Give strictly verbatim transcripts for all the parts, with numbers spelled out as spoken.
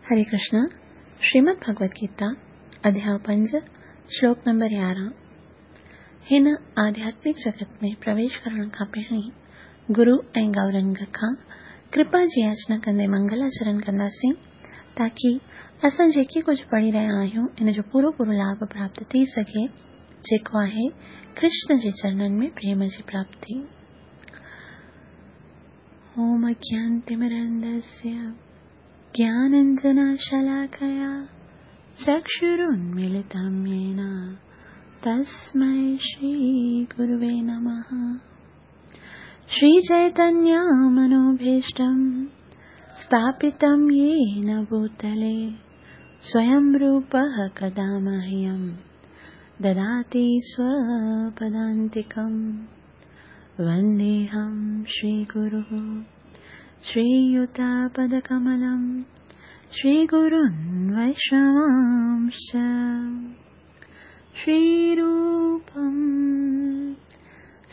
हरे कृष्णा। श्रीमद् भगवद गीता अध्याय पंज श्लोक नंबर यारहं। हिन आध्यात्मिक जगत में प्रवेश करण खां पहिरीं गुरु ऐं गौरंग खां कृपा जी याचना कंदे मंगलाचरण कंदासीं ताकी असां जेके कुझु पढ़ी रहिया आहियूं इन जो पूरो पूरो लाभ प्राप्त थी सघे, जेको आहे कृष्ण जे चरणनि में प्रेम जी प्राप्ति। ओम अज्ञानतिमिरन्धस्य ज्ञानाञ्जनशलाकया चक्षुरुन्मीलितं येन तस्मै श्रीगुरुवे नमः। श्रीचैतन्यमनोभीष्टं स्थापितं येन भूतले स्वयं रूपः कदा मह्यं ददाति स्वपदान्तिकं। वन्देऽहं श्रीगुरुः श्रीयुतपदकमलं श्रीगुरुन् वैष्णवांश्च। श्रीरूपं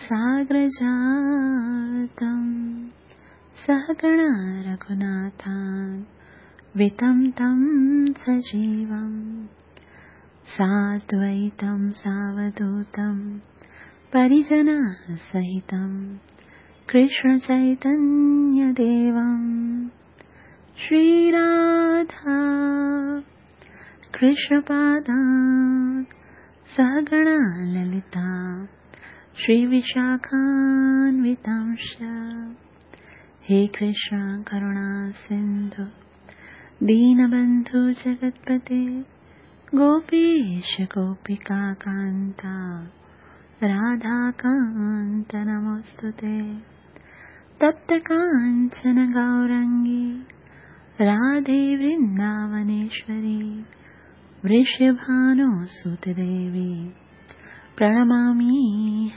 साग्रजातं सहगण रघुनाथान्वितं तं सजीवं साद्वैतं सावधूतं परिजनसहितं कृष्ण चैतन्य देवं। श्रीराधा कृष्णपादान् सहगण ललिता श्रीविशाखान्वितांश्च। हे कृष्ण करुणा सिन्धु दीनबन्धु जगत्पते गोपीश गोपिका कान्ता राधाकान्त नमोऽस्तुते। तप्त काञ्चन गौरङ्गी राधे वृन्दावनेश्वरी वृषभानुसुते देवी प्रणमामि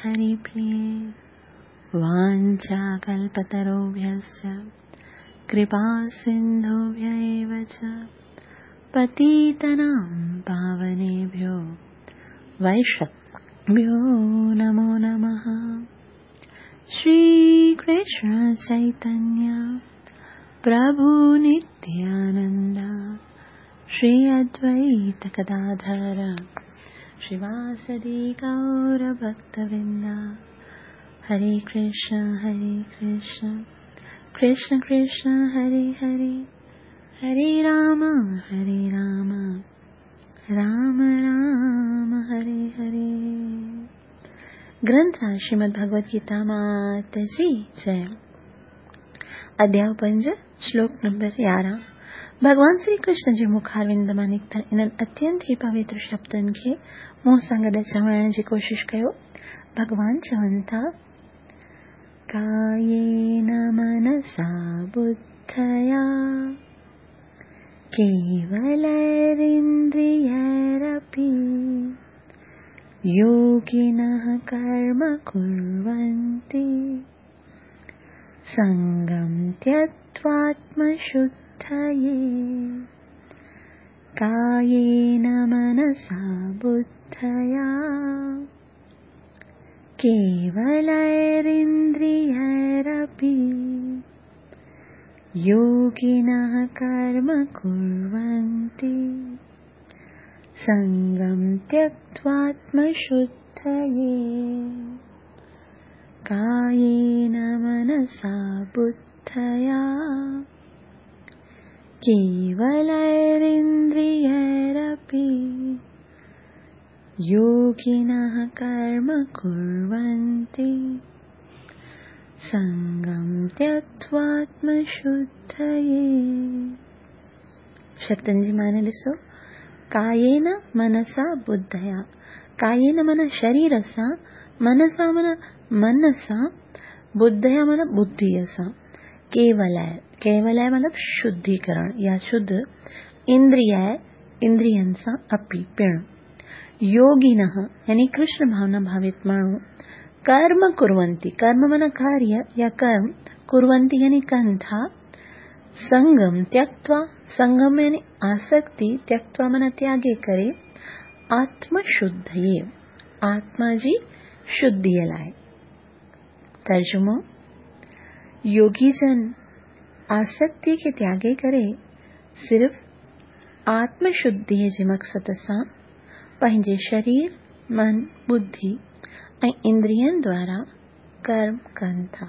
हरिप्रिये। वाञ्छाकल्पतरुभ्यश्च कृपा सिन्धुभ्य एव च पतितानां पावनेभ्यो वैष्णवेभ्यो नमो नमः। श्री कृष्ण चैतन्य प्रभु नित्यानंद श्री अद्वैत गदाधर श्रीवासदि गौर भक्तवृंद। हरे कृष्ण हरे कृष्ण कृष्ण कृष्ण हरे हरे, हरे राम हरे राम राम राम हरे हरे। ग्रंथ श्रीमद् भगवद गीता मात जी जय। अध्याय पंज श्लोक नंबर यारहं। भॻवान श्री कृष्ण जे मुखारविंद मां निकितल इन्हनि अत्यंत ई पवित्र शब्दनि खे मूं सां गॾु चवण जी कोशिश कयो। भॻवान चवनि था, कायेन मनसा बुद्धया केवलैरिन्द्रियैरपि योगिनः कर्म कुर्वन्ति सङ्गं त्यक्त्वात्मशुद्धये। कायेन मनसा बुद्धया केवलैरिन्द्रियैरपि योगिनः कर्म कुर्वन्ति सङ्गं त्यक्त्वात्मशुद्धये। कायेन मनसा बुद्धया केवलैरिन्द्रियैरपि योगिनः कर्म कुर्वन्ति सङ्गं त्यक्त्वात्मशुद्धये। शब्दनि जी माने ॾिसो, कायेन मनसा बुद्धया। कायेन माना शरीर सां, मनसा माना मन सां, बुद्धया माना बुद्धिअ सां। केवलाय, केवलाय मतलब शुद्धिकरण या शुद्ध, इंद्रियाय इंद्रियनि सां, अपि पिण। योगिनः यानी कृष्ण भावना भावित माण्हू, कर्म कुर्वन्ति, कर्म माना कार्य या कर्म, कुर्वन्ति यानी कनि था, संगम त्यक्त्वा, संगम यानी आसक्ति, त्यक्त्वा माना त्यागे करे, आत्मशुद्धये आत्मा जी शुद्धिअ लाइ। तर्जुमो, योगी जन आसक्ति खे त्यागे करे सिर्फ़ आत्म शुद्धीअ जे मक़सद सां पंहिंजे शरीर, मन, बुद्धि ऐं इंद्रियनि द्वारा कर्म कनि था।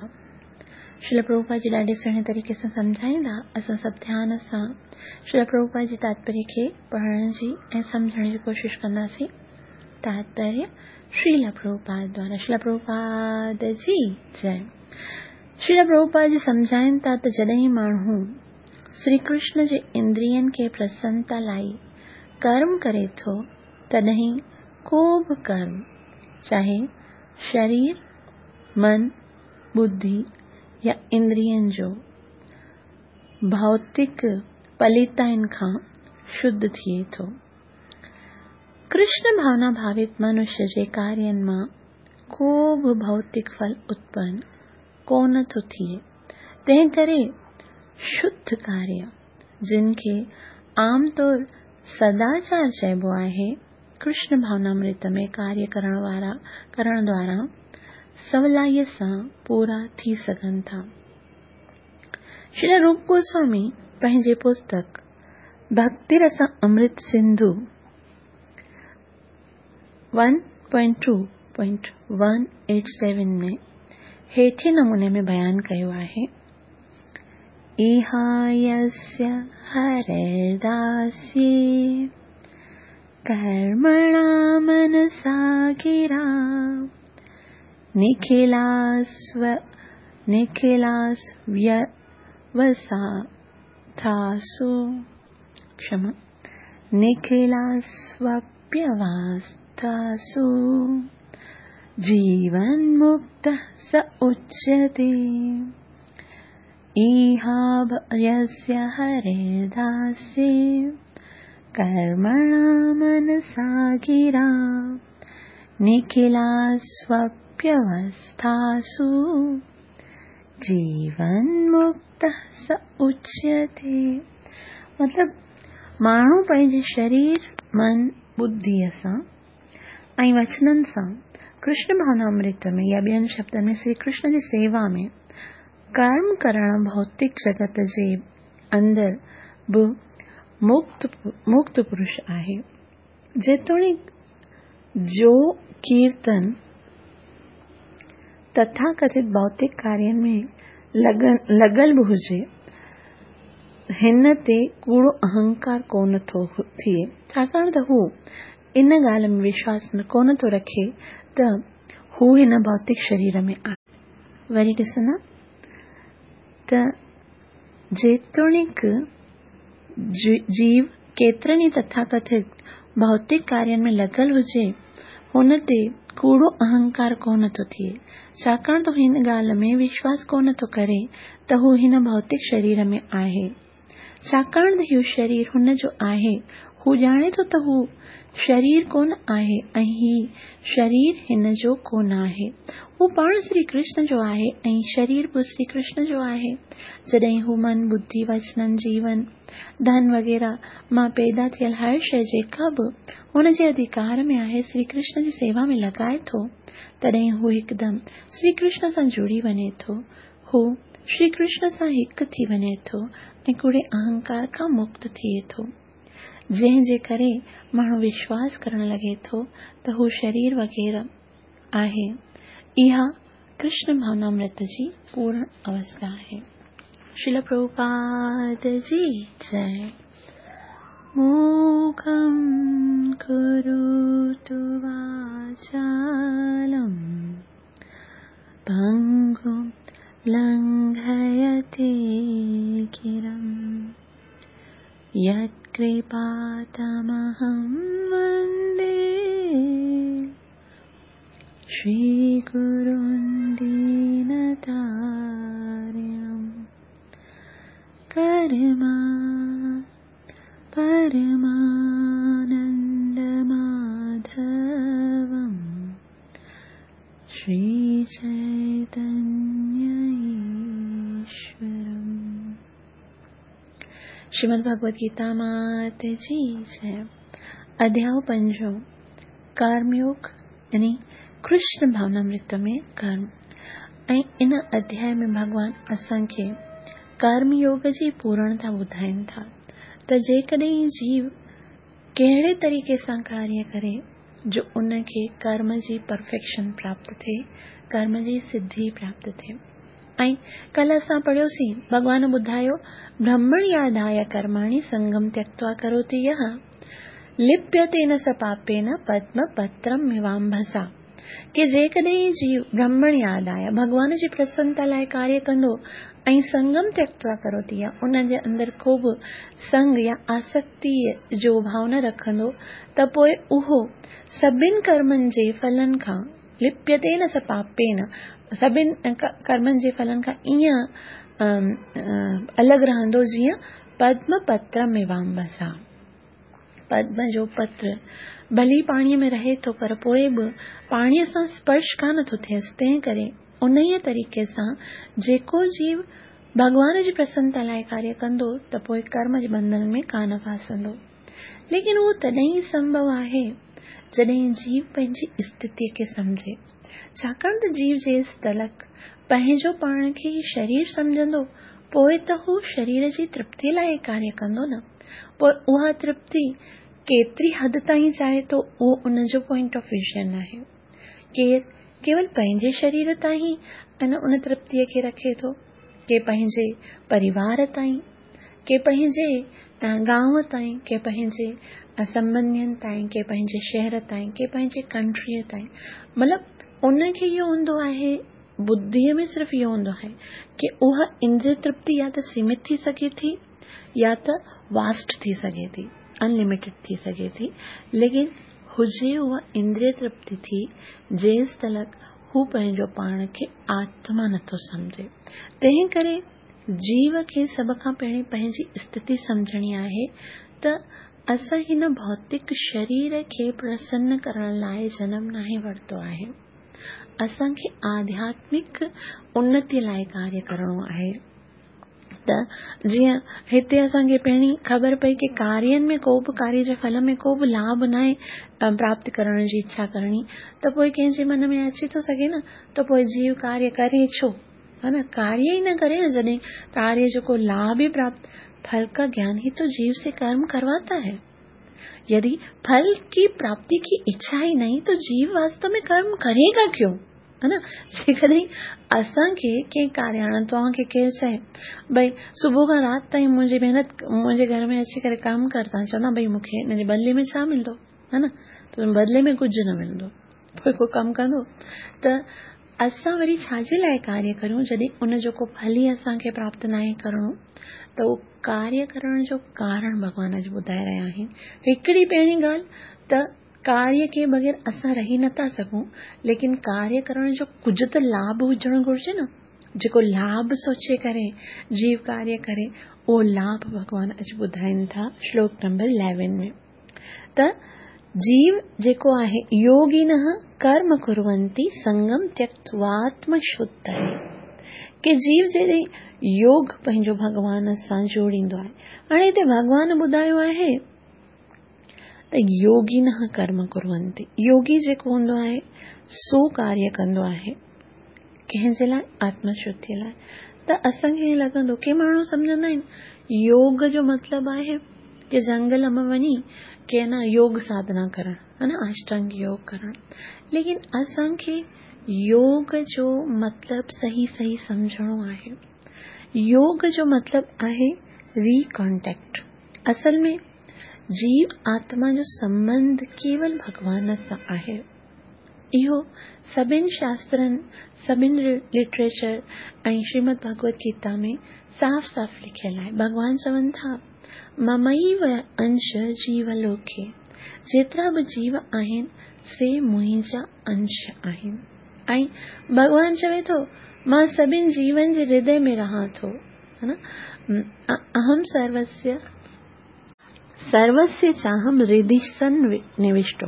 श्रील प्रभुपाद जी ॾाढे सुहिणे तरीक़े सां सम्झाईंदा। असां सभु ध्यान सां श्रील प्रभुपाद जे तात्पर्य खे पढ़ण जी ऐं सम्झण जी कोशिशि कंदासीं। तात्पर्य श्रील प्रभुपाद द्वारा। श्रील प्रभुपाद जी जय। श्रील प्रभुपाद जी सम्झाइनि था त जॾहिं माण्हू श्री कृष्ण जे इंद्रियनि खे प्रसन्नता लाइ कर्म करे थो, तॾहिं को बि कर्म, चाहे शरीर, मन, बुद्धि या इंद्रियनि जो, भौतिक पलिताइनि खां शुद्ध थिए थो। कृष्ण भावना भावित मनुष्य जे कार्यनि मां को बि भौतिक फल उत्पन्न कोन थो थिए। तंहिं करे शुद्ध कार्य, जिन खे आम तौर सदाचार चइबो आहे, कृष्ण भावनामृत में कार्य करण वारा करण द्वारा सवलाईअ सां पूरा थी सघनि था। श्री रूप गोस्वामी पंहिंजे पुस्तक भक्ति रस अमृत Sindhu one point two point one eight seven में हेठे नमूने में बयानु कयो आहे। इहायस्य हरिदास्ये कर्मणा मनसा गिरा निखिलास्व निखिलास्व्यवसाथासु क्षमा निखिलास्वप्यवस्थासु जीवन्मुक्तः स उच्यते। इहायस्य हरिदास्ये कर्मणा मनसा गिरा निखिलास्वप्यवस्थासु जीवन्मुक्तः स उच्यते। मतिलबु माण्हू पंहिंजे शरीर, मन, बुद्धीअ सां ऐं वचननि सां कृष्ण भावनामृत में या ॿियनि शब्दनि में श्री कृष्ण जी सेवा में कर्म करण भौतिक जगत जे अंदरि बि मुक्त मुक्त पुरुष आहे। जेतोणीकि जो कीर्तन तथाकथित भौतिक कार्यनि में लॻल बि हुजे, हिन ते कूड़ो अहंकार कोन थो थिए, छाकाणि त हू इन ॻाल्हि में विश्वास कोन थो रखे त हू हिन भौतिक शरीर में आहे। वरी ॾिसंदा त जेतोणीकि जीव केतिरनि ई तथाकथित भौतिक कार्यनि में लॻल हुजे, हुन ते कूड़ो अहंकार कोन थो थिए, छाकाणि त हिन ॻाल्हि में विश्वास कोन थो करे त हू हिन भौतिक शरीर में आहे। छाकाणि त इहो शरीर हुन जो आहे, हू ॼाणे थो त हू शरीर कोन आहे ऐं ही शरीर हिन जो कोन आहे। हू पाण श्री कृष्ण जो आहे ऐं शरीर बि श्री कृष्ण जो आहे। जॾहिं हू मन, बुद्धि, वचननि, जीवन, धन वग़ैरह मां पैदा थियल हर शइ जेका बि हुन जे अधिकार में आहे, श्री कृष्ण जी सेवा में लॻाए थो, तॾहिं हू हिकदमि श्री कृष्ण सां जुड़ी वञे थो। हू श्री कृष्ण सां हिकु थी वञे थो ऐं कूड़े अहंकार खां मुक्त थिए थो, जंहिंजे करे माण्हू विश्वास करण लॻे थो त हू शरीर वग़ैरह आहे। इहा कृष्ण भावनामृत जी पूर्ण अवस्था आहे। श्रील प्रभुपाद जी जय। मूकं करोतु वाचालं पङ्गुं लङ्घयते गिरिं यत्कृपातमहं वन्दे श्रीगुरुं दीनतारिणं। करमा परमानन्दमाधवं श्रीचैतन्यईश्वरम्। श्रीमद् भगवद गीता मात जी जय। अध्याय पंजों, कर्मयोग यानी कृष्ण भावनामृत में कर्म। ऐं इन अध्याय में भॻवान असांखे कर्मयोग जी पूर्णता ॿुधाइनि था। त जेकॾहिं जीव कहिड़े तरीक़े सां कार्य करे जो उनखे कर्म जी परफेक्शन प्राप्त थिए, कर्म जी सिद्धि प्राप्त थिए। ऐं कल्ह असां पढ़ियोसीं, भॻवान ॿुधायो, ब्रह्मण्याधाय कर्माणि संगम त्यक्त्वा करोति यः लिप्यते न स पापेन पद्मपत्रम् इवाम्भसा। की जेकॾहिं जीव ब्रह्मण्याधाय भॻवान जी प्रसन्नता लाइ कार्य कंदो ऐं संगम त्यक्त्वा करोति या उन जे अंदरि को बि संग या आसक्ति जो भाव न रखंदो त पोइ उहो सभिनि कर्मनि जे फलनि खां लिप्यते न स पापेन, सभिनि कर्मनि जे फलनि खां ईअं अलॻि रहंदो जीअं पद्मपत्रम् इवाम्भसा। पद्म जो पत्र भली पाणीअ में रहे थो पर पोइ बि पाणीअ सां स्पर्श कान थो थियसि, तंहिं करे उन ई तरीक़े सां जेको जीव भॻवान जी प्रसन्नता लाइ कार्य कंदो त पोइ कर्म जे बंधन में कान फासंदो। लेकिन उहो तॾहिं ई संभव आहे जॾहिं जीव पंहिंजी स्थितीअ खे सम्झे, छाकाणि त जीव जेसि तलक पंहिंजो पाण खे शरीर सम्झंदो पोइ त हू शरीर जी तृप्ति लाइ कार्य कंदो न, पोइ उहा तृप्ति केतिरी हद ताईं चाहे थो उहो उनजो पॉइंट ऑफ विजन आहे। केरु केवल पंहिंजे शरीर ताईं ऐं उन तृप्तीअ खे रखे थो, के पंहिंजे परिवार ताईं, के पंहिंजे गांव ताईं, के पंहिंजे संबंधियुनि ताईं, के पंहिंजे शहर ताईं, के पंहिंजे कंट्रीअ ताईं। मतिलबु उनखे इहो हूंदो आहे, बुद्धिअ में सिर्फ़ु इहो हूंदो आहे की उहा इंद्रिय तृप्ति या त सीमित थी सघे थी या त वास्ट थी सघे थी, अनलिमिटेड थी सघे थी, लेकिन हुजे उहा इंद्रिय तृप्ति थी जेसि तलक हू पंहिंजो पाण खे आत्मा नथो सम्झे। तंहिं करे जीव खे सभ खां पहिरीं पंहिंजी स्थिति सम्झणी आहे त असां हिन भौतिक शरीर खे प्रसन्न करण लाइ जनम नाहे वरितो आहे, असांखे आध्यात्मिक उन्नति लाइ कार्य करिणो आहे। त जीअं हिते असांखे पहिरीं ख़बर पई की कार्यनि में को बि कार्य जे फल में को बि लाभ नाहे प्राप्त करण जी इच्छा करणी, त पोइ कंहिंजे मन में अची थो सघे न त पोइ जीव कार्य करे छो, है न, कार्य ई न करे न जॾहिं कार्य जो को लाभ ही प्राप्त, फल का ज्ञान ही तो जीव से कर्म करवाता है। यदि फल की प्राप्ति की इच्छा ही नहीं तो जीव वास्तव में कर्म करेगा क्यों, है न। जेकॾहिं असांखे कंहिं कार्य, हाणे तव्हांखे केरु चए भई सुबुह खां राति ताईं मुंहिंजी महिनत, मुंहिंजे घर में अची करे कमु कर, तव्हां चवंदा भई मूंखे हिन जे बदिले में छा मिलंदो, है न, त बदिले में कुझु न मिलंदो, पोइ को कमु कंदो। त असां वरी छाजे लाइ कार्य करियूं जॾहिं उनजो को फल ई असांखे प्राप्त नाहे करिणो, त उहो कार्य करण जो कारण भॻवान अॼु ॿुधाए रहिया आहिनि। हिकिड़ी पहिरीं ॻाल्हि त कार्य के बग़ैर असां रही नथा सघूं, लेकिन कार्य करण जो कुझु त लाभ हुजणु घुरिजे न, जेको लाभ सोचे करे जीव कार्य करे उहो लाभ भॻवान अॼु ॿुधाइनि था श्लोक नंबर इलेवन में। त जीव जेको आहे योगिनः कर्म कुर्वन्ति संगम त्यक्त्वात्मशुद्धये, की जीव जॾहिं योग पंहिंजो भॻवान सां जोड़ींदो आहे। हाणे हिते भॻवान ॿुधायो आहे त योगिनः कर्म कुर्वन्ति, योगी जेको हूंदो आहे सो कार्य कंदो आहे कंहिंजे लाइ, आत्मशुद्धि लाइ। त असांखे ईअं लॻंदो के माण्हू सम्झंदा आहिनि योग जो मतिलबु आहे की जंगल में वञी के न योग साधना करण, है न, अष्टांग योग करण, लेकिन असांखे योग जो मतिलबु सही सही सम्झणो आहे। योग जो मतिलबु आहे रीकॉन्टेक्ट। असल में जीव आत्मा जो संबंध केवल भॻवान सां आहे। इहो सभिनि शास्त्रनि, सभिनि लिटरेचर ऐं श्रीमद भगवत गीता में साफ़ साफ़ लिखियल आहे। भॻवान चवनि था ममैव अंश जीवलोके, जेतिरा बि जीव आहिनि से मुंहिंजा अंश आहिनि। ऐं भॻवान चवे थो मां सभिनि जीवन जे हृदय में रहां थो, है न, अहम सर्वस्य सर्वस्य चाहम हृदि सन्निविष्टो,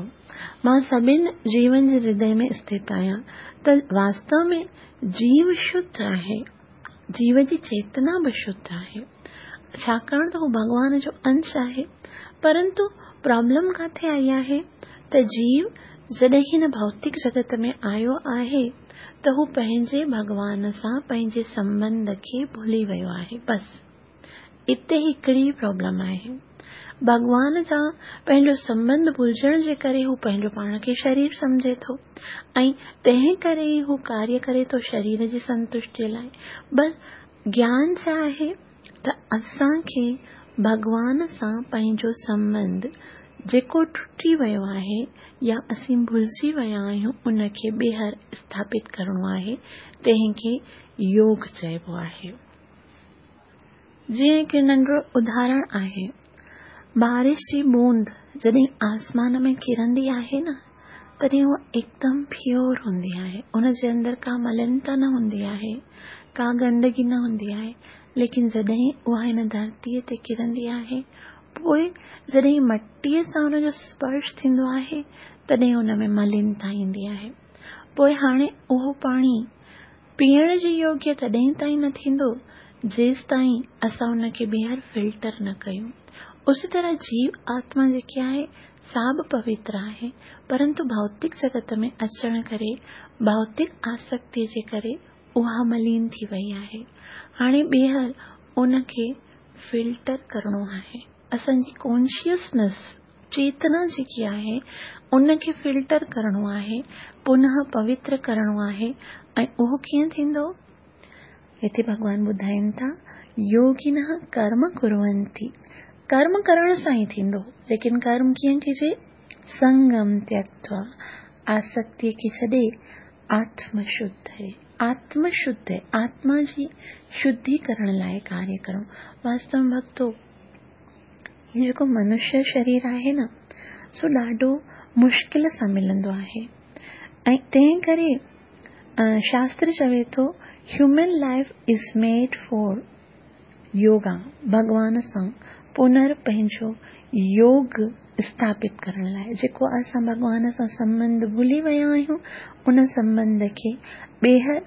मां सभिनि जीवन जे हृदय में स्थित आहियां। त वास्तव में जीव शुद्ध आहे, जीव जी चेतना बि शुद्ध आहे, छाकाणि त हू भॻवान जो अंश आहे। परंतु प्रॉब्लम किथे आई आहे त जीव जॾहिं हिन भौतिक जगत में आयो आहे त हू पंहिंजे भॻवान सां पंहिंजे संबंध खे भुली वियो आहे। बसि इते हिकिड़ी प्रॉब्लम आहे। भॻवान सां पंहिंजो संबंध भुलिजण जे करे हू पंहिंजो पाण खे शरीर सम्झे थो ऐं तंहिं करे ई हू कार्य करे थो शरीर जी संतुष्टीअ लाइ। बसि ज्ञान छा आहे त असांखे भॻवान सां पंहिंजो संबंध जेको टुटी वियो आहे या असीं भुलिजी विया आहियूं उनखे ॿीहर स्थापित करिणो आहे, तंहिंखे योग चइबो आहे। जीअं हिकु नंढो उदाहरण आहे, बारिश जी बूंद जॾहिं आसमान में किरंदी आहे न तॾहिं उहा एकदम प्योर हूंदी आहे, उनजे अंदरि का मलिनता न हूंदी आहे, का गंदगी न हूंदी आहे। लेकिन जॾहिं उहा हिन धरतीअ ते किरंदी आहे, पोइ जॾहिं मटीअ सां हुनजो स्पर्श थींदो आहे तॾहिं हुन में मलिनता ईंदी आहे। पोइ हाणे उहो पाणी पीअण जे योग्य तॾहिं ताईं न थींदो जेसि ताईं असां हुनखे ॿीहर फिल्टर न कयूं। उसी तरह जीव आत्मा जेकी आहे सा बि पवित्र आहे, परंतु भौतिक जगत में अचण करे भौतिक आसक्ति जे करे उहा मलिन थी वई आहे। हाणे ॿीहर उनखे फिल्टर करिणो आहे। असांजी कॉन्शियसनेस चेतना जेकी आहे उनखे फिल्टर करिणो आहे, पुनः पवित्र करिणो आहे। ऐं उहो कीअं थींदो? हिते भॻवान ॿुधाइनि था, योगिनः कर्म कुर्वन्ति, कर्म करण सां ई थींदो, लेकिन कर्म कीअं कजे? संगम त्यक्त्वा, आसक्तीअ खे छॾे आत्मशुद्ध, आत्मशुद्ध आत्मा जी शुद्धि करण लाइ कार्य करणो। वास्तव में भक्तो, हीउ जेको मनुष्य शरीर आहे न सो ॾाढो मुश्किल सां मिलंदो आहे ऐं तंहिं करे शास्त्र चवे थो human life is made for yoga, भॻवान सां पुनर पंहिंजो योग स्थापित करण लाइ। जेको असां भॻवान सां संबंध भुली विया आहियूं उन संबंध खे ॿीहर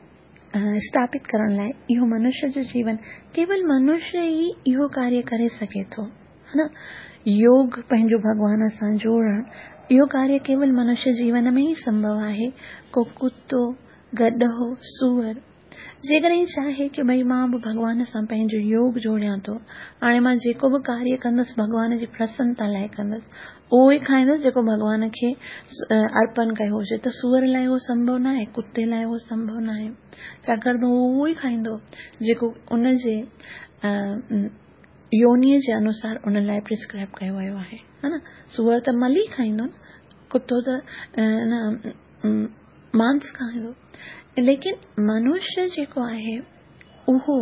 स्थापित करण लाइ इहो मनुष्य जो जीवन, केवल मनुष्य ई इहो कार्य करे सघे थो, हा न। योग पंहिंजो भॻवान सां जोड़ण, इहो कार्य केवल मनुष्य जीवन में ई संभव आहे। को कुतो, गॾो, सूअर जेकॾहिं चाहे की भई मां बि भॻवान सां पंहिंजो योग जोड़ियां थो, हाणे मां जेको बि कार्य कंदुसि भॻवान जी प्रसन्नता लाइ कंदुसि, उहो ई खाईंदुसि जेको भॻवान खे अर्पण कयो हुजे, त सूअर लाइ उहो संभव न आहे, कुते लाइ उहो संभव न आहे, छाकाणि त उहो उहो ई खाईंदो जेको उनजे योनीअ जे अनुसार उन लाइ प्रिस्क्राइब कयो वियो आहे, हा न। सूअर त मल ई खाईंदो न, कुतो त न मांस खाईंदो, लेकिन मनुष्य जेको आहे उहो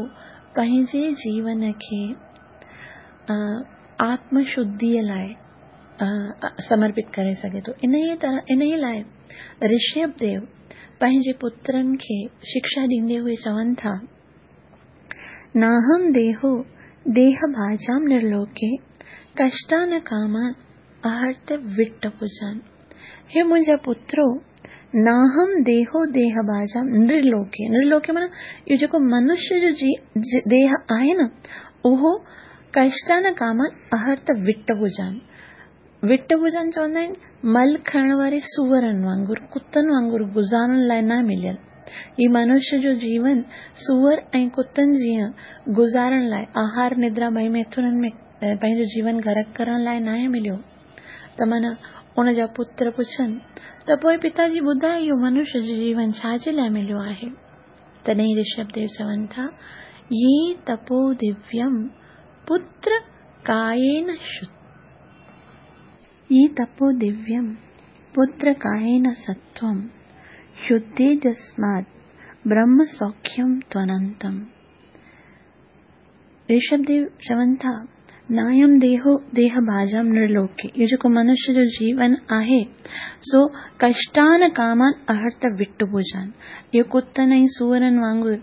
पंहिंजे जीवन खे आत्मशुद्धिअ लाइ समर्पित करे सघे थो। इन तरह इन लाइ ऋषभ देव पंहिंजे पुत्रनि खे शिक्षा ॾींदे हुए चवनि था, नाहम देहो देह भाजाम निर्लोके कष्टान कामान आहर्त विट्ट पुजान। हे मुंहिंजा पुत्रो, नाहम देहो देह भाजाम निर्लोके, निर्लोके माना इहो जेको मनुष्य जो जी देह आहे न उहो कष्टान कामान आहर्त विट्ट हुजनि। विट्ट हुजनि चवंदा आहिनि मल खाइण वारे सूअरनि वांगुरु, कुतनि वांगुरु गुज़ारण लाइ न मिलियल। ही मनुष्य जो जीवन सूअर ऐं कुतनि जीअं गुज़ारण लाइ, आहार निद्रा ॿई मैथुननि में पंहिंजो जीवन गरक करण लाइ नाहे मिलियो। त माना उनजा पुत्र पुछनि त पोइ पिताजी ॿुधाए इहो मनुष्य जो जीवन छाजे लाइ मिलियो आहे? तॾहिं ऋषभ देव चवनि था, ये तपो दिव्यम पुत्र कायेन शुद्ध, ये तपो दिव्यम पुत्र कायेन सत्वम शुद्धे जस्मात् ब्रह्म सौख्यम त्वनंतम। ऋषभ देव चवनि था, नायम देहो देह भाजाम निर्लोके, इहो जेको मनुष्य जो जीवन आहे सो कष्टान कामान अहर्त विट्ट भुजन, इहो कुतनि ऐं सूअरनि वांगुरु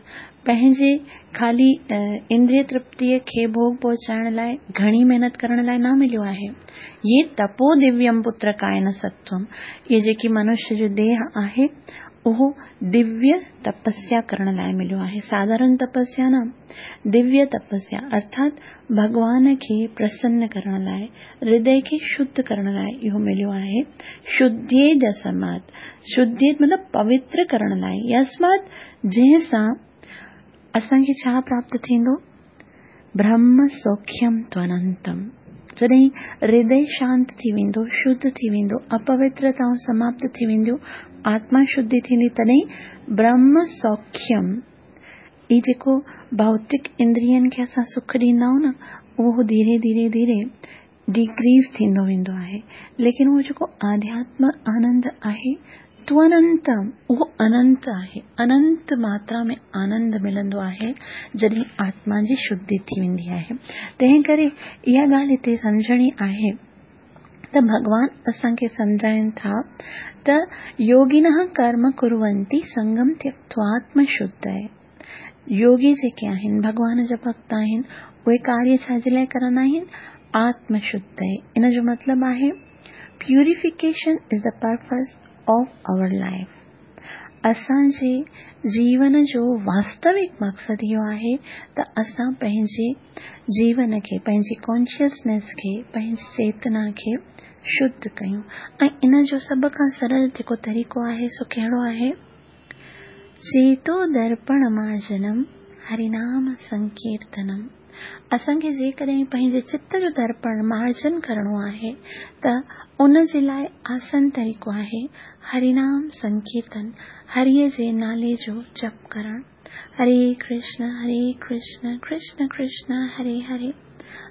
पंहिंजे ख़ाली इंद्रिय तृप्तीअ खे भोग पहुचाइण लाइ घणी महिनत करण लाइ न मिलियो आहे। ये तपो दिव्यम पुत्र कायन सत्वम, इहे जेकी मनुष्य जो देह आहे उहो दिव्य तपस्या करण लाइ मिलियो आहे। साधारण तपस्या न, दिव्य तपस्या अर्थात भॻवान खे प्रसन्न करण लाइ, हृदय खे शुद्ध करण लाइ इहो मिलियो आहे। शुद्धे जसमात, शुद्धे मतलब पवित्र करण लाइ, यस्मात् जंहिंसां असांखे छा प्राप्त थींदो? ब्रह्म सौख्यम त्वनंतम, जॾहिं हृदय शांत थी वेंदो, शुद्ध थी वेंदो, अपवित्रताऊं समाप्त थी वेंदियूं, आत्मा शुद्धि थींदी, तॾहिं ब्रह्म सौख्यम, ही जेको भौतिक इंद्रियनि खे असां सुख ॾींदा आहियूं न, उहो धीरे धीरे धीरे डिक्रीज थींदो वेंदो आहे। लेकिन उहो जेको आध्यात्म आनंद आहे त्वनंतम, उहो अनंत आहे, अनंत मात्रा में आनंद मिलंदो आहे जॾहिं आत्मा जी शुद्धि थी वेंदी आहे। तंहिं करे इहा ॻाल्हि हिते सम्झणी आहे त भॻवान असांखे सम्झाइनि था त योगिनः कर्म कुर्वन्ति संगम त्यक्त्वात्म शुद्धये। योगी जेके आहिनि, भॻवान जा भक्त आहिनि, उहे कार्य छा जे लाइ कंदा आहिनि? आत्मशुद्धये। इन जो मतिलबु आहे purification is the purpose of our life. असांजे जीवन जो वास्तविक मक़सदु इहो आहे त असां पंहिंजे जीवन खे, पंहिंजी कॉन्शियसनेस खे, पंहिंजी चेतना खे शुद्ध कयूं। ऐं इन जो सभ खां सरल जेको तरीक़ो आहे सो कहिड़ो आहे? चेतो दर्पण मार्जनम हरिनाम संकीर्तनम। असांखे जेकॾहिं पंहिंजे चित्त जो दर्पण मार्जन करिणो आहे त उन जे लाइ आसान तरीक़ो आहे हरिनाम संकीर्तन, हरीअ जे नाले जो जप करणु। हरे कृष्ण हरे कृष्ण कृष्ण कृष्ण हरे हरे,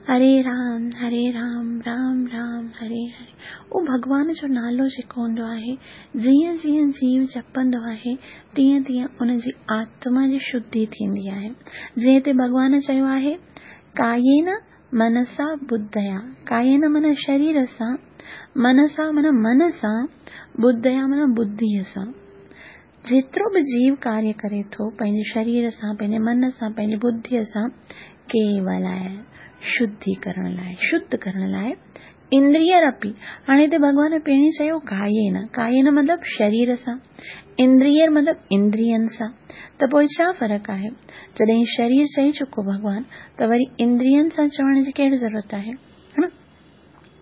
हरे राम हरे राम राम राम हरे हरे। उहो भॻवान जो नालो जेको हूंदो आहे, जीअं जीअं जीव जपंदो आहे तीअं तीअं उनजी आत्मा जी शुद्धि थींदी आहे। जीअं हिते भॻवान चयो आहे कायेन मनसा बुद्धया, कायेन माना शरीर सां, मनसा माना मन सां, बुद्धया माना बुद्धिअ सां। जेतिरो बि जीव कार्य करे थो पंहिंजे शरीर सां, पंहिंजे मन सां, पंहिंजी बुद्धिअ सां, केवल आहे शुद्धि करण लाइ, शुद्ध करण लाइ। इंद्रियरपि, हाणे हिते भॻवान पहिरीं चयो कायेन, कायेन मतिलबु शरीर सां, इंद्रियर मतिलबु इंद्रियनि सां, त पोइ छा फ़र्क़ु आहे? जॾहिं शरीर चई चुको भॻवान त वरी इंद्रियनि सां चवण जी कहिड़ी ज़रूरत आहे? हा न?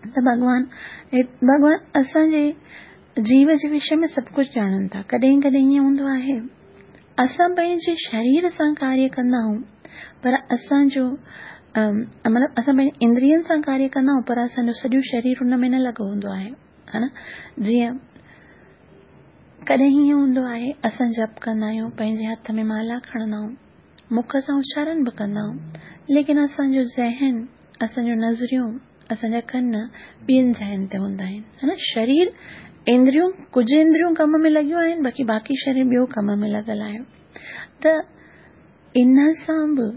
त भॻवान भॻवान असांजे जीव जे विषय में सभु कुझु ॼाणनि था। कॾहिं कॾहिं ईअं हूंदो आहे असां पंहिंजे शरीर सां कार्य कंदा आहियूं, पर असांजो मतिलबु असां पंहिंजे इंद्रियनि सां कार्य कंदा आहियूं, पर असांजो सॼो शरीर हुन में न लॻो हूंदो आहे, हा न? जीअं कॾहिं ईअं हूंदो आहे असां जप कंदा आहियूं, पंहिंजे हथ में माला खणंदा आहियूं, मुख सां उचारण बि कंदा आहियूं, लेकिन असांजो ज़हन, असांजो नज़रियूं, असांजा कन ॿियनि जायुनि ते हूंदा आहिनि, हा न? शरीर इंद्रियूं, कुझु इंद्रियूं कम में लॻियूं आहिनि, बाक़ी बाक़ी शरीर ॿियो कम में लॻल आहे। त इन सां बि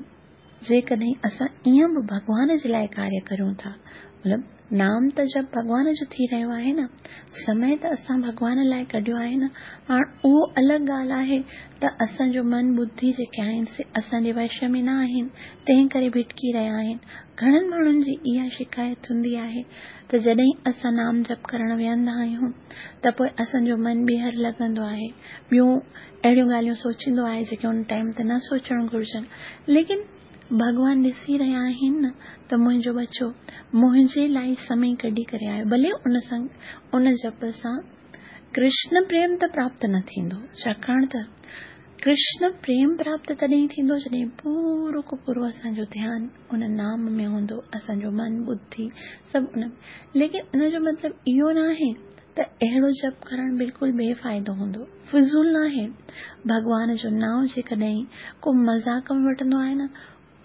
जेकॾहिं असां ईअं बि भॻवान जे लाइ कार्य करियूं था, मतिलबु नाम त जप भॻवान जो थी रहियो आहे न, समय त असां भॻवान लाइ कढियो आहे न। हाणे उहो अलॻि ॻाल्हि आहे त असांजो मन बुद्धि जेके आहिनि से असांजे वश में न आहिनि, तंहिं करे भिटकी रहिया आहिनि। घणनि माण्हुनि जी इहा शिकायत हूंदी आहे त जॾहिं असां नाम जप करण वेहंदा आहियूं त पोइ असांजो मन ॿीहर लॻंदो आहे, ॿियूं अहिड़ियूं ॻाल्हियूं सोचींदो आहे जेके उन टाइम ते न सोचणु घुर्जनि। लेकिन भॻवान ॾिसी रहिया आहिनि न त मुंहिंजो बचो मुंहिंजे लाइ समय कढी करे आयो, भले उन सां उन जप सां कृष्ण प्रेम त प्राप्त न थींदो, छाकाणि त कृष्ण प्रेम प्राप्त तॾहिं थींदो जॾहिं पूरो को पूरो असांजो ध्यानु उन नाम में हूंदो, असांजो मन बुद्धि सभु उन में। लेकिन उन जो मतिलबु इहो न आहे त अहिड़ो जप करणु बिल्कुलु बेफ़ाइदो हूंदो, फ़िज़ूल न आहे। भॻवान जो नाम जेकॾहिं को मज़ाक में वठंदो आहे न,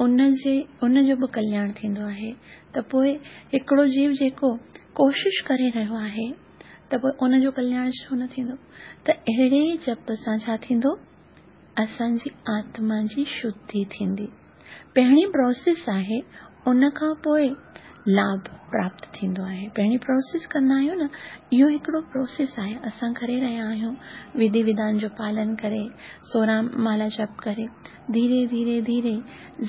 उनजे उनजो बि कल्याण थींदो आहे। त पोइ हिकिड़ो जीव जेको कोशिश करे रहियो आहे त पोइ उनजो कल्याण छो न थींदो? त अहिड़े जप सां छा थींदो? असांजी आत्मा जी शुद्धि थींदी। पहिरीं प्रोसेस आहे, उन खां पोइ लाभ प्राप्त थींदो आहे। पहिरीं प्रोसेस कंदा आहियूं न, इहो हिकिड़ो प्रोसेस आहे, असां करे रहिया आहियूं, विधि विधान जो पालन करे, सोरहं माला जप करे, धीरे धीरे धीरे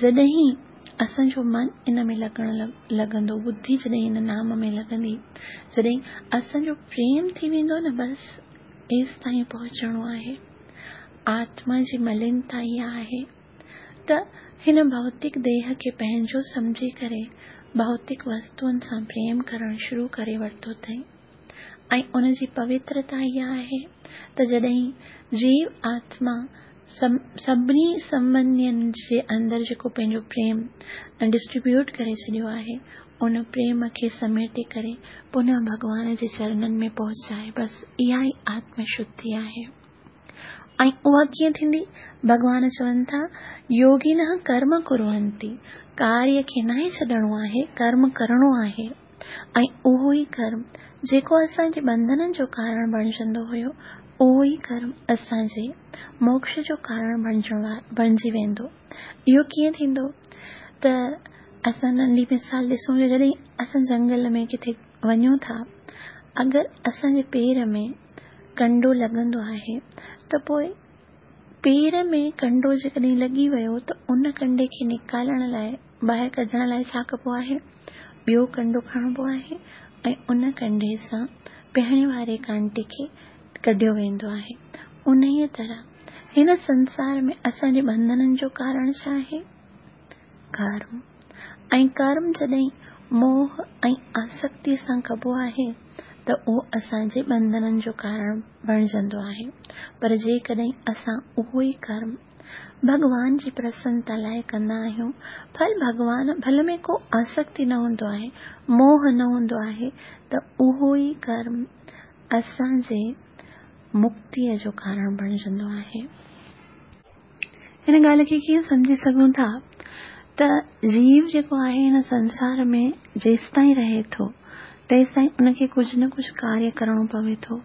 जॾहिं असांजो मन इन में लॻण लॻंदो, बुद्धि जॾहिं इन नाम में लॻंदी, जॾहिं असांजो प्रेम थी वेंदो न, बसि एसि ताईं पहुचणो आहे। आत्मा जी मलिनता इहा आहे त हिन भौतिक देह खे पंहिंजो सम्झी करे भौतिक वस्तुनि सां प्रेम करणु शुरू करे वरितो अथई। ऐं उनजी पवित्रता इहा आहे त जॾहिं जीव आत्मा सभिनी संबंधियुनि जे अंदरि जेको पंहिंजो प्रेम डिस्ट्रीब्यूट करे छॾियो आहे, ان پريم کي سميٽي ڪري پنهه ڀڳوان جي چرنن ۾ پهچائي. بس اها ئي آتم شڌي آهي. ۽ اها ڪيئن ٿيندي؟ ڀڳوان چون ٿا يوگينه ڪرم ڪرونتي، ڪاريه کي ناهي ڇڏڻو آهي، ڪرم ڪرڻو آهي. ۽ اهو ئي ڪرم جيڪو اسان جي ٻنڌنن جو ڪارڻ بڻجندو هيو، اهو ئي ڪرم اسان جي موڪش جو ڪارڻ بڻجي ويندو. اهو ڪيئن ٿيندو؟ ته اسان ننڍي مثال ڏسون جو جڏهن اسان جنگل ۾ ڪٿي وڃون ٿا، اگر اسان جي پير ۾ ڪنڊو لڳندو آهي ته پوءِ پير ۾ ڪنڊو جيڪڏهن لڳي ويو ته ان ڪنڊي کي نڪالڻ لاءِ، ٻاهر ڪڍڻ لاءِ ڇا ڪبو آهي؟ ٻيو ڪنڊو کڻبو آهي ۽ ان ڪنڊي سان پهرين واري ڪانٽي کي ڪڍيو ويندو آهي. انهيءَ طرح هن سنسار ۾ اسان جي ٻنڌنن جو ڪارڻ ڇا آهي؟ ڪرم. ۽ ڪرم جڏهن موهه ۽ آسڪتيءَ سان ڪبو آهي ته اهو اسان جي ٻنڌنن جو ڪارڻ بڻجندو آهي. پر جيڪڏهن اسان اهو ئي ڪرم ڀڳوان جي پرسنتا لاءِ ڪندا آهيون، ڦل ڀڳوان ڦل ۾ ڪو آسڪتي نه هوندو آهي، موهه نه هوندو آهي، ته اهو ئي ڪرم اسان جي مڪتيءَ جو ڪارڻ بڻجندو آهي. هن ڳالهه کي ڪيئن سمجهي سگهون ٿا ته جيو جيڪو آهي هن سنسار ۾ جيستائين رهي ٿو تيستائين ان کي ڪجهه نه ڪجهه ڪاريه ڪرڻو پوي ٿو.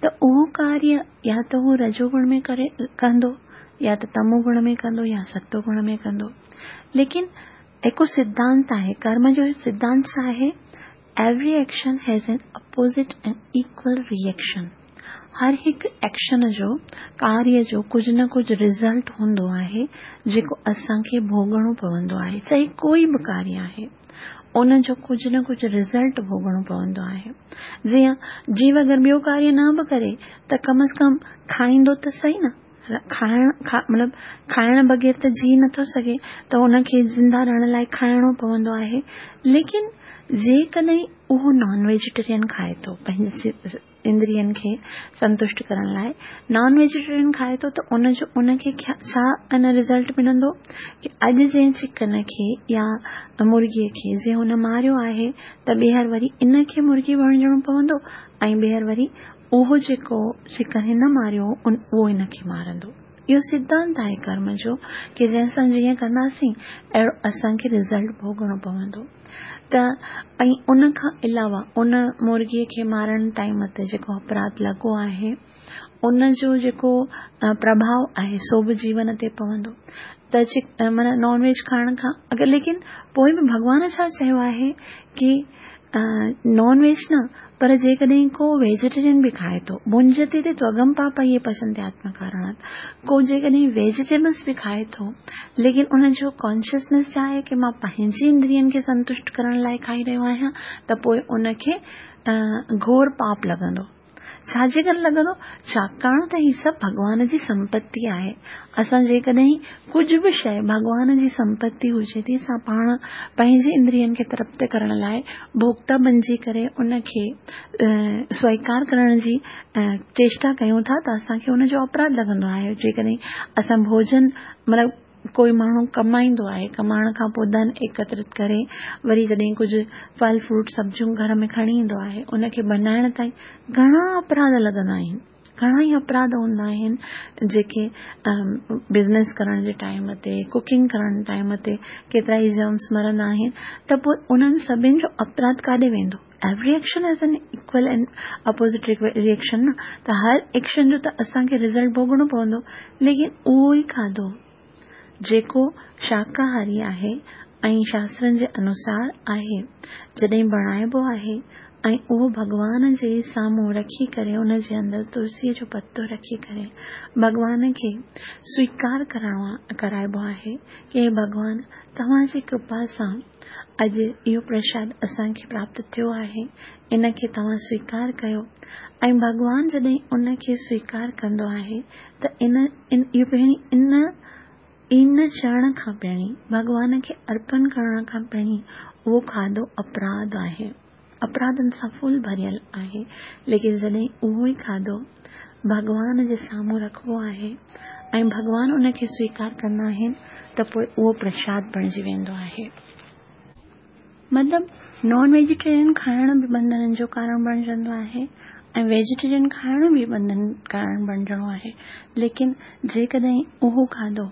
ته اهو ڪاريه يا ته هو رجوگڻ ۾ ڪري ڪندو، يا ته تمو گڻ ۾ ڪندو، يا ستو گڻ ۾ ڪندو. ليڪن هڪ سڌانت آهي، ڪرم جو سڌانت ڇا آهي؟ Every action has an opposite and equal reaction. هر هڪ ايڪشن جو، ڪاريه جو ڪجهه نه ڪجهه رزلٽ هوندو آهي جيڪو اسان کي ڀوڳڻو پوندو آهي. چاهي ڪوئي به ڪاريه آهي، ان جو ڪجهه نه ڪجهه رزلٽ ڀوڳڻو پوندو آهي. جيئن جيو اگر ٻيو ڪاريه نه به ڪري ته ڪم از ڪم کائيندو ته صحيح نه، کائڻ مطلب کائڻ بغير ته جي نٿو سگهي، ته ان کي زنده رهڻ لاءِ کائڻو پوندو آهي. ليڪن جيڪڏهن اهو نان ويجيٽيرين کائي ٿو، پنهنجي اندرين کي سنتشٽ ڪرڻ لاءِ نان ويجيٽيرين کائي ٿو، ته ان جو ان کي ڇا ان رزلٽ ملندو ڪه اڄ جنهن چڪن کي يا مرغيءَ کي جنهن هن ماريو آهي ته ٻيهر وري ان کي مرغي بڻجڻو پوندو ۽ ٻيهر وري اهو جيڪو چڪن هن ماريو اهو هن کي مارندو. اهو سڌانت آهي ڪرم جو ڪه جنهن سان جيئن ڪنداسين اهڙو اسان کي رزلٽ ڀوڳڻو پوندو. ته ۽ ان کان علاوه ان مرغيءَ کي مارڻ ٽائيم تي جيڪو اپراڌ لڳو آهي ان جو جيڪو پرڀاو آهي سو به جيون تي پوندو. ته معنيٰ نان ويج کائڻ کان اگر ليڪن پوءِ به ڀڳوان ڇا چيو آهي ڪه نان ويج نه، پر جيڪڏهن ڪو ويجيٽيرين به کائي ٿو، ڀنجتي تي توگم پاپ اهي پچنتي آتم ڪارڻات، ڪو جيڪڏهن ويجيٽيبلس به کائي ٿو ليڪن ان جو ڪانشسنيس ڇا آهي ڪه مان پنهنجي اندرين کي سنتشٽ ڪرڻ لاءِ کائي رهيو آهيان، ته پوءِ ان کي گهور پاپ لڳندو. ڇا جي ڪري لڳندو؟ ڇاڪاڻ ته هي سڀ ڀڳوان جي سمپتي آهي. اسان جيڪڏهن ڪجهه به شيءِ ڀڳوان جي سمپتي هجي ٿي، اسان پاڻ پنهنجي اندرين کي ترپت ڪرڻ لاءِ ڀوڪتا بڻجي ڪري ان کي سويڪار ڪرڻ جي چيشٽا ڪيون ٿا ته اسان کي ان جو اپراڌ لڳندو آهي. جيڪڏهن اسان ڀوڄن مطلب ڪوئي ماڻهو ڪمائيندو آهي، ڪمائڻ کان پوءِ ڌن ايڪترت ڪري وري جڏهن ڪجهه ڦل فروٽ سبزيون گهر ۾ کڻي ايندو آهي، ان کي بنائڻ تائين گهڻا اپراڌ لڳندا آهن، گهڻا ئي اپراڌ هوندا آهن جيڪي بزنس ڪرڻ جي ٽائيم تي، ڪوڪنگ ڪرڻ ٽائيم تي ڪيترا ئي جرمس مرندا آهن، ته پوءِ انهن سڀني جو اپراڌ ڪاڏي ويندو؟ Every action has an equal and opposite reaction نه، ته هر ايڪشن جو ته اسان کي رزلٽ ڀوڳڻو پوندو. ليڪن اهو ئي کاڌو جيڪو شاڪاهاري آهي ۽ شاسترن جي انوسار آهي، جڏهن بڻائبو آهي ۽ اهو ڀڳوان جي سامهون رکي ڪري ان جي اندر تلسيءَ جو پتو رکي ڪري ڀڳوان کي سويڪار ڪرڻو ڪرائبو آهي ڪه هي ڀڳوان توهان جي ڪرپا سان اڄ اهو پرشاد اسان کي پراپت ٿيو آهي، ان کي توهان سويڪار ڪيو. ۽ ڀڳوان جڏهن ان کي سويڪار ڪندو آهي ته ان اهو پهرين ان ان چوڻ کان پهرين، ڀڳوان کي ارپڻ ڪرڻ کان پهرين اهو کاڌو اپراڌ آهي، اپراڌن سان فل ڀريل آهي. ليڪن جڏهن اهو ئي کاڌو ڀڳوان جي سامهون رکبو آهي ۽ ڀڳوان ان کي سويڪار ڪندا آهن ته پوءِ اهو پرشاد بڻجي ويندو آهي. مطلب نان ويجيٽيرين کائڻ به ٻنڌنن جو ڪارڻ بڻجندو آهي ۽ ويجيٽيرين کائڻ به ٻنڌن ڪارڻ بڻجڻو آهي. ليڪن جيڪڏهن اهو کاڌو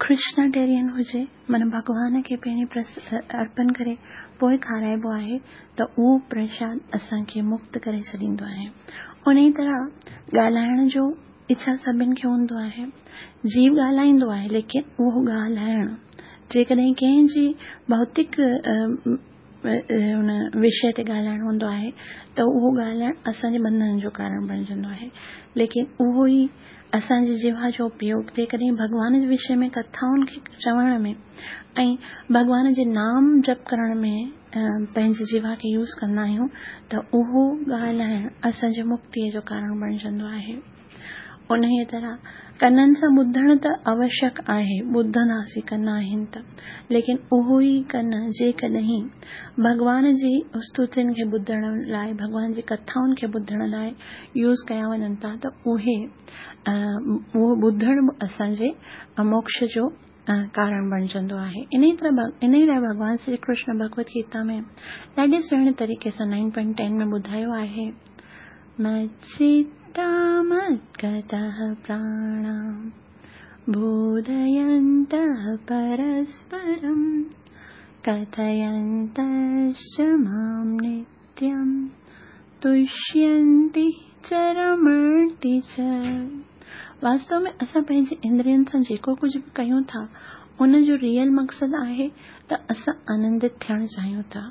ڪرشناٽيرين هجي، معنيٰ ڀڳوان کي پهرين ارپڻ ڪري پوءِ کارائبو آهي، ته اهو پرشاد اسان کي مڪت ڪري ڇڏيندو آهي. ان ئي طرح ڳالهائڻ جو اڇا سڀني کي هوندو آهي. جيو ڳالهائيندو آهي، ليڪن اهو ڳالهائڻ جيڪڏهن ڪنهن جي ڀوتڪ هن وشي تي ڳالهائڻ هوندو آهي ته اهو ڳالهائڻ اسان جي ٻنڌن جو ڪارڻ بڻجندو آهي. ليڪن اهو ئي اسان جي جيوا جو اپيوگ جيڪڏهن ڀڳوان جي وشي ۾ ڪٿائن کي چوڻ ۾ ۽ ڀڳوان جي نام جپ ڪرڻ ۾ پنهنجي جيوا کي يوز ڪندا آهيون ته اهو ڳالهائڻ اسان جي مڪتيءَ جو ڪارڻ بڻجندو آهي. ان ئي طرح ڪنن سان ٻڌڻ ته اوشيڪ آهي، ٻڌنداسين ڪن آهن ته، ليڪن اهو ئي ڪن جيڪڏهن ڀڳوان جي استتين کي ٻڌڻ لاءِ، ڀڳوان جي ڪٿائن کي ٻڌڻ لاءِ يوز ڪيا وڃن ٿا ته اهي اهو ٻڌڻ به اسان جي موڪش جو ڪارڻ بڻجندو آهي. ان ئي طرح ان ئي لاءِ ڀڳوان شري ڪرشن ڀڳوت گيتا ۾ ڏاڍي سهڻي طريقي سان نائن پوائنٽ ٽين ۾ ٻڌايو آهي، متچتا مدگتः प्राणा बोधयन्तः परस्परं कथयन्तश्च मां नित्यं तुष्यन्ति च रमन्ति च. वास्तव में असां पंहिंजे इंद्रियनि सां जेको कुझु बि कयूं था उन जो रियल मक़सदु आहे त असां आनंदित थियणु चाहियूं था.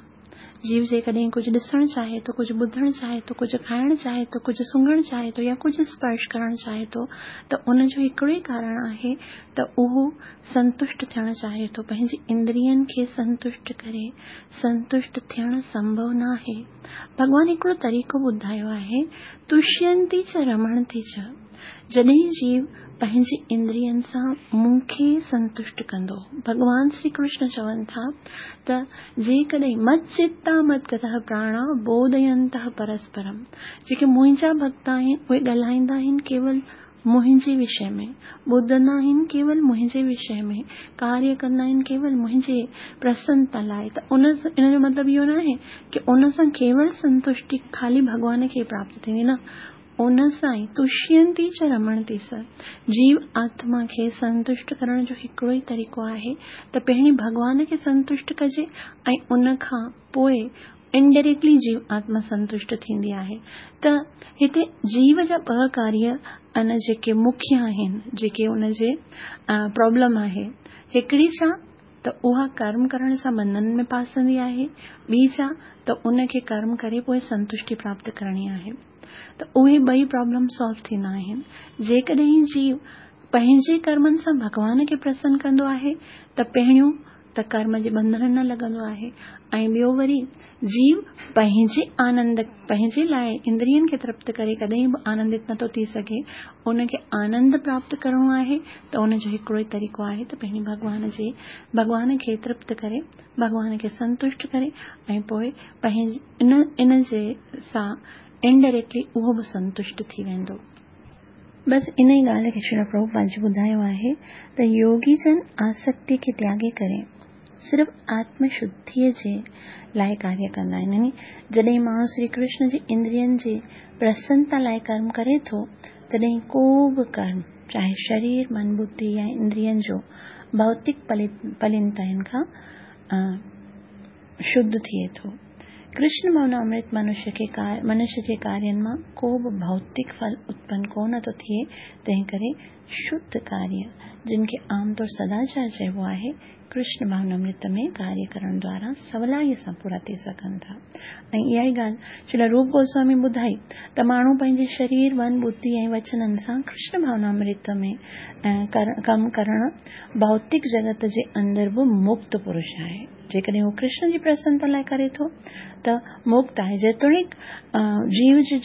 जीव जेकॾहिं कुझु ॾिसणु चाहे थो, कुझु ॿुधणु चाहे थो, कुझु खाइणु चाहे थो, कुझु सुंघणु चाहे थो या कुझु स्पर्श करणु चाहे थो त उनजो हिकिड़ो ई कारण आहे त उहो संतुष्ट थियणु चाहे थो. पंहिंजी इंद्रियनि खे संतुष्ट करे संतुष्ट थियणु संभव न आहे. भॻवान हिकिड़ो तरीक़ो ॿुधायो आहे, तुष्यंती च रमणती च. जॾहिं जीव पंहिंजी इंद्रियनि सां मूंखे संतुष्ट कंदो, भॻवान श्री कृष्ण चवनि था त जेकॾहिं मत्चित्ता मद्गतः प्राणा बोधयन्तः परस्परम, जेके मुंहिंजा भक्त आहिनि उहे ॻाल्हाईंदा आहिनि केवल मुंहिंजे विषय में, ॿुधंदा आहिनि केवल मुंहिंजे विषय में, कार्य कंदा आहिनि केवल मुंहिंजे प्रसन्नता लाइ. त उन इन जो मतिलबु इहो न आहे की उन सां केवल संतुष्टि ख़ाली भॻवान खे प्राप्त थींदी, न, उन सां ई तुष्यंती च रमणती स. जीव आत्मा खे संतुष्ट करण जो हिकिड़ो ई तरीक़ो आहे त पहिरीं भॻवान खे संतुष्ट कजे ऐं उन खां पोइ इनडायरेक्टली जीव आत्मा संतुष्ट थींदी आहे. त हिते जीव जा ॿ कार्य अन जेके मुख्य आहिनि, जेके उनजे प्रॉब्लम आहे, हिकिड़ी छा त उहा कर्म करण सां बंधन में फासंदी आहे, ॿी छा त उनखे कर्म करे पोइ संतुष्टि प्राप्त करणी आहे. त उहे ॿई प्रॉब्लम सॉल्व थींदा आहिनि. जेकॾहिं जीव पंहिंजे कर्मनि सां भॻवान खे प्रसन्न कंदो आहे त पहिरियों त कर्म जे बंधन न लॻंदो आहे ऐं ॿियो वरी जीव पंहिंजे आनंद, पंहिंजे लाइ इंद्रियनि खे तृप्त करे कॾहिं बि आनंदित नथो थी सघे. उनखे आनंद प्राप्त करिणो आहे त उनजो हिकिड़ो ई तरीक़ो आहे त पहिरीं भॻवान जे भॻवान खे तृप्त करे, भॻवान खे संतुष्ट करे ऐं पोइ पंहिंजे इन इन जे सां इनडायरेक्टली उहो बि संतुष्ट थी वेंदो. बसि इन ई ॻाल्हि खे श्री प्रभुपाद जी ॿुधायो आहे त योगी जन आसक्ति खे त्यागे करे सिर्फ़ आत्मशुद्धिअ जे लाइ कार्य कंदा आहिनि. यानी जॾहिं माण्हू श्री कृष्ण जी इंद्रियनि जी प्रसन्नता लाइ कर्म करे थो तॾहिं को बि कर्म, चाहे शरीर, मन, बुद्धि या इंद्रियनि जो, भौतिक पलिनताइनि खां शुद्ध थिए थो. कृष्ण भावना अमृत मनुष्य खे मनुष्य जे कार्यनि मां को बि भौतिक फल उत्पन्न कोन थो थिए, तंहिं करे शुद्ध कार्य, जिन खे आम तौर सदाचार चइबो आहे, कृष्ण भावनामृत में कार्य करण द्वारा सवलाई सां पूरा थी सघनि था. ऐं इहा ई ॻाल्हि श्रील रूप गोस्वामी ॿुधाई त माण्हू पंहिंजे शरीर, मन, बुद्धि ऐं वचननि सां कृष्ण भावनामृत में कमु करण भौतिक जगत जे अंदरि बि मुक्त पुरुष आहे. जेकॾहिं हू कृष्ण जी प्रसन्नता लाइ करे थो त मुक्त आहे. जेतोणीकि जीव जो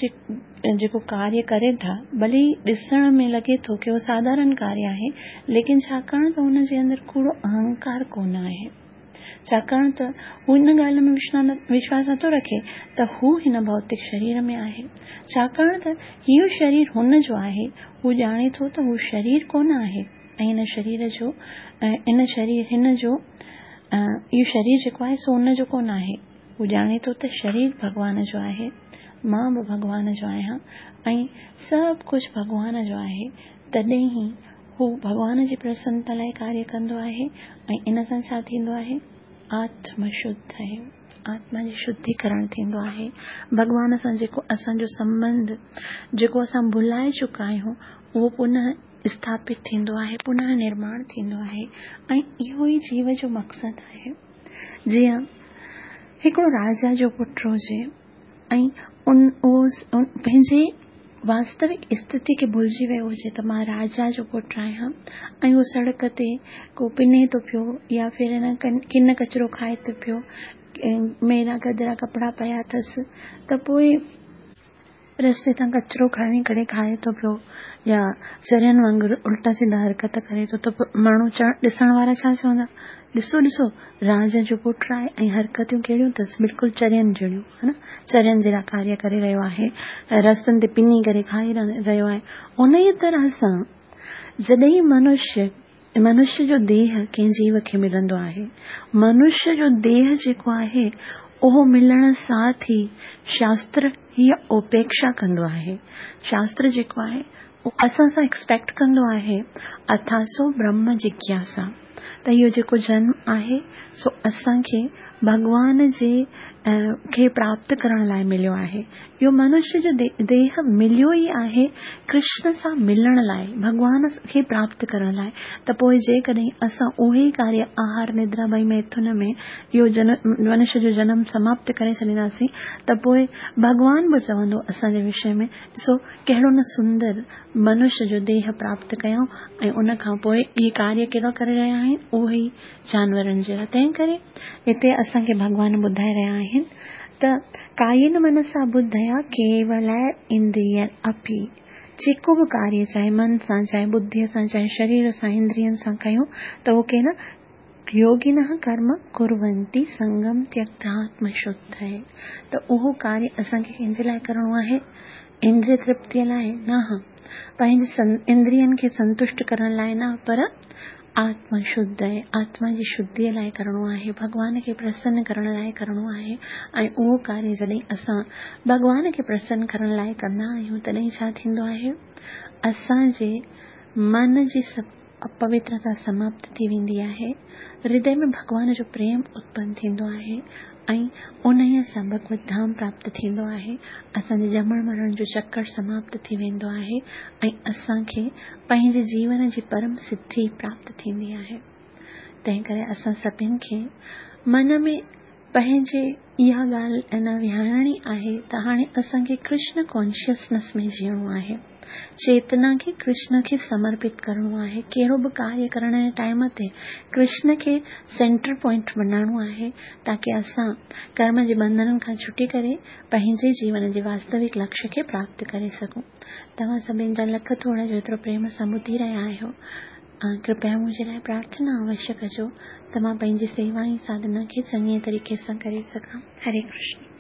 जेको कार्य करे था, भले ॾिसण में लॻे थो की उहो साधारण कार्य आहे, लेकिन छाकाणि त हुनजे अंदरि कूड़ो अहंकार कोन आहे, छाकाणि त हू हिन ॻाल्हि में विश्वास नथो रखे त हू हिन भौतिक शरीर में आहे, छाकाणि त इहो शरीर हुन जो आहे, हू ॼाणे थो त हू शरीर कोन आहे ऐं हिन शरीर जो इन शरीर हिन जो اهو شرير جيڪو آهي سو ان جو ڪونه آهي. هو ڄاڻي ٿو ته شرير ڀڳوان جو آهي، مان به ڀڳوان جو آهيان ۽ سڀ ڪجهه ڀڳوان جو آهي. تڏهن ئي هو ڀڳوان جي پرسنتا لاءِ ڪاريه ڪندو آهي ۽ ان سان ڇا ٿيندو آهي؟ آتم شڌ آهي، آتما جي شڌيڪرڻ ٿيندو آهي. ڀڳوان سان جيڪو اسان جو سنٻنڌ جيڪو اسان ڀلائي چڪا آهيون اهو پنهه اسٿاپت ٿيندو آهي، پنهه نرماڻ ٿيندو آهي ۽ اهو ئي جيو جو مقصد آهي. جيئن هڪڙو راجا جو پٽ هجي ۽ ان اهو پنهنجي واستوڪ اسٿتي کي ڀلجي ويو هجي ته مان راجا جو پٽ آهيان ۽ اهو سڙڪ تي ڪو پني ٿو پيو يا ڦر ڪن ڪچرو کائي ٿو پيو، ميرا گدرا ڪپڙا پيا اٿس ته پوءِ رستي تان ڪچرو کڻي ڪري کائي ٿو پيو يا چرين وانگر الٽا سڌا حرڪت ڪري ٿو ته ماڻهو ڏسڻ وارا ڇا چوندا؟ ڏسو ڏسو راجا جو پٽ آهي ۽ حرڪتون ڪهڙيون اٿس، بلڪل چرين جهڙيون، ها نه، چرين جهڙا ڪاريه ڪري رهيو آهي، رستن تي پني ڪري کائي رهيو آهي. ان ئي طرح سان جڏهن منشيه منشيه جو ديهه ڪنهن جيو کي ملندو آهي، منشيه جو ديهه جيڪو آهي اهو ملڻ سان ٿي شاستر هيءَ اپيڪشا ڪندو آهي. شاستر جيڪو آهي اهو اسان سان ايڪسپيڪٽ ڪندو آهي اٿاسو برهم جگياسا، ته اهو جيڪو جنم آهي سو اسان کي ڀڳوان جي کي پراپت ڪرڻ لاءِ مليو آهي. اهو منشيه جو ديهه مليو ئي آهي ڪرشن سان ملڻ لاءِ، ڀڳوان کي پراپت ڪرڻ لاءِ. ته پوءِ جيڪڏهن اسان اهي ئي ڪاريه آهار ندرا ڀئي ميٿن ۾ اهو منشيه جو جنم سماپت ڪري ڇڏينداسين ته پوءِ ڀڳوان به چوندو اسان جي وشي ۾ ڏسو ڪهڙو نه سندر منشيه جو ديهه پراپت ڪيائون ۽ ان کان پوءِ اهي ڪاريه ڪهڙا ڪري رهيا آهن؟ اهي ئي جانورن جهڙا. تنهن ڪري هتي اسان کي ڀڳوان ٻڌائي رهيا آهن ته ڪايين منسا ٻڌيا ڪيول اندريه اپي، جيڪو به ڪاريه چاهي من سان چاهي ٻڌيءَ سان چاهي شرير سان اندرين سان ڪيون ته اهو ڪين يوگنه ڪرم ڪرونتي سنگم تيڪت آتم شڌ آهي. ته اهو ڪاريه اسان کي ڪنهن جي لاءِ ڪرڻو آهي؟ اندريه ترپتيءَ لاءِ نه، پنهنجي اندرين کي سنتشٽ ڪرڻ لاءِ نه، پر آتم شڌ آهي، آتما جي شڌيءَ لاءِ ڪرڻو آهي، ڀڳوان کي پرسن ڪرڻ لاءِ ڪرڻو آهي. ۽ اهو ڪاريه جڏهن اسان ڀڳوان کي پرسن ڪرڻ لاءِ ڪندا آهيون تڏهن ڇا ٿيندو آهي؟ اسان جي من جي اپوترتا سماپت ٿي ويندي آهي، هردي ۾ ڀڳوان جو پريم اتپن ٿيندو آهي ۽ انهيءَ سان ڀڳوت ڌام پراپت ٿيندو آهي. اسان جي ڄمڻ مرڻ جو چڪر سماپت ٿي ويندو آهي ۽ اسان کي پنهنجي جيون جي پرم سڌي پراپت ٿيندي آهي. تنهن ڪري اسان سڀني کي من ۾ پنهنجي اها ڳالهه اڃا ويهارڻي آهي ته هاڻي اسان کي ڪرشن ڪانشسنيس ۾ جيئڻو آهي، چيتنا کي ڪرشن کي سمرپت ڪرڻو آهي. ڪهڙو به ڪاريه ڪرڻ جي ٽائيم تي ڪرشن کي سينٽر پوائنٽ بنائڻو آهي تاڪه اسان ڪرم جي بنڌنن کان ڇٽي ڪري پنهنجي جيون جي واستوڪ لڪشيه کي پراپت ڪري سگهون. توهان سڀني جا لک ٿورا جو ايترو پريم سان ٻڌي رهيا آهيو، ڪرپيا منهنجي لاءِ پرارٿنا اوشيه ڪجو ته مان پنهنجي سيوا ۽ ساڌنا کي چڱي طريقي سان ڪري سگهان. هري ڪرشن.